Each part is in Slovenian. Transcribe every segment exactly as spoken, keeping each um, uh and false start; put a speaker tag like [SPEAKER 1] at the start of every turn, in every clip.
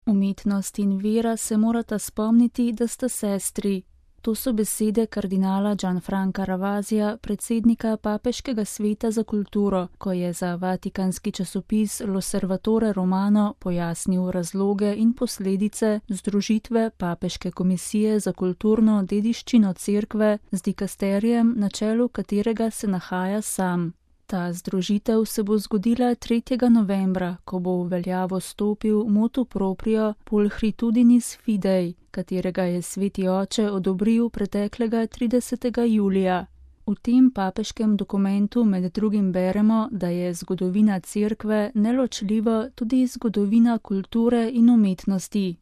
[SPEAKER 1] Umetnost in vera se morata spomniti, da sta sestri. To so besede kardinala Gianfranca Ravasija, predsednika Papeškega sveta za kulturo, ko je za vatikanski časopis L'Osservatore Romano pojasnil razloge in posledice združitve Papeške komisije za kulturno dediščino cerkve z dikasterijem, na čelu katerega se nahaja sam. Ta združitev se bo zgodila tretjega novembra, ko bo v veljavo stopil motu proprio Pulchritudinis Fidei, katerega je sveti oče odobril preteklega tridesetega julija. V tem papeškem dokumentu med drugim beremo, da je zgodovina cerkve neločljiva tudi zgodovina kulture in umetnosti.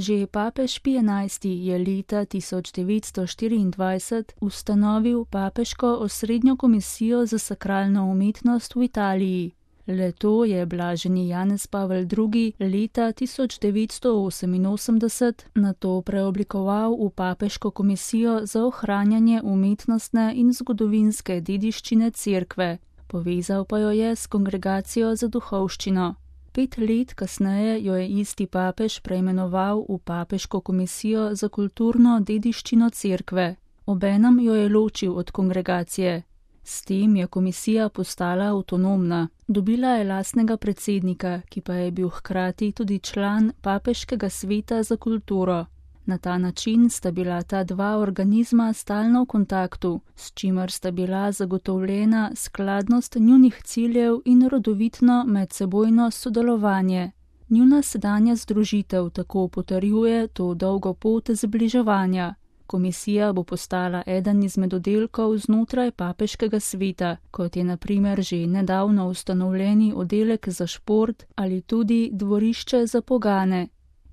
[SPEAKER 1] Že papež Pij enajsti je leta tisoč devetsto štiriindvajset ustanovil Papeško osrednjo komisijo za sakralno umetnost v Italiji. Le-to je blaženi Janez Pavel drugi leta tisoč devetsto oseminosemdeset nato preoblikoval v Papeško komisijo za ohranjanje umetnostne in zgodovinske dediščine cerkve, povezal pa jo je s Kongregacijo za duhovščino. Pet let kasneje jo je isti papež preimenoval v Papeško komisijo za kulturno dediščino cerkve. Obenem jo je ločil od kongregacije. S tem je komisija postala avtonomna. Dobila je lastnega predsednika, ki pa je bil hkrati tudi član Papeškega sveta za kulturo. Na ta način sta bila ta dva organizma stalno v kontaktu, s čimer sta bila zagotovljena skladnost njunih ciljev in rodovitno medsebojno sodelovanje. Njuna sedanja združitev tako potrjuje to dolgo pot zbliževanja. Komisija bo postala eden izmed oddelkov znotraj Papeškega sveta, kot je na primer že nedavno ustanovljeni oddelek za šport ali tudi dvorišče za pogane.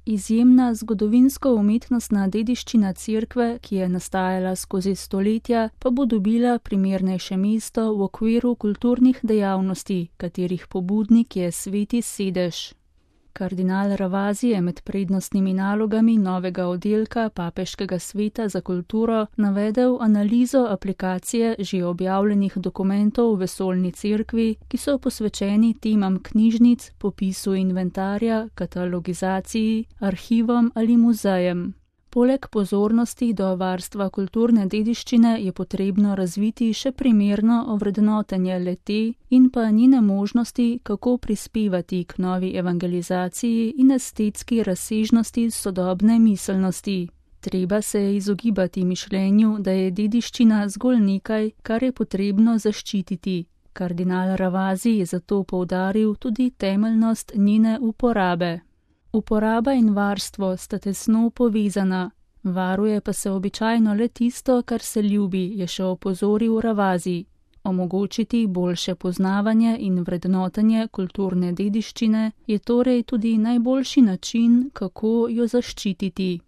[SPEAKER 1] Izjemna zgodovinsko-umetnostna dediščina cerkve, ki je nastajala skozi stoletja, pa bo dobila primernejše mesto v okviru kulturnih dejavnosti, katerih pobudnik je sveti sedež. Kardinal Ravasi je med prednostnimi nalogami novega oddelka Papeškega sveta za kulturo navedel analizo aplikacije že objavljenih dokumentov v vesoljni cerkvi, ki so posvečeni temam knjižnic, popisu inventarja, katalogizaciji, arhivom ali muzejem. Poleg pozornosti do varstva kulturne dediščine je potrebno razviti še primerno ovrednotenje le-te in pa njene možnosti, kako prispevati k novi evangelizaciji in estetski razsežnosti sodobne miselnosti. Treba se je izogibati mišljenju, da je dediščina zgolj nekaj, kar je potrebno zaščititi. Kardinal Ravasi je zato poudaril tudi temeljnost njene uporabe. Uporaba in varstvo sta tesno povezana, varuje pa se običajno le tisto, kar se ljubi, je še opozoril Ravasi. Omogočiti boljše poznavanje in vrednotenje kulturne dediščine je torej tudi najboljši način, kako jo zaščititi.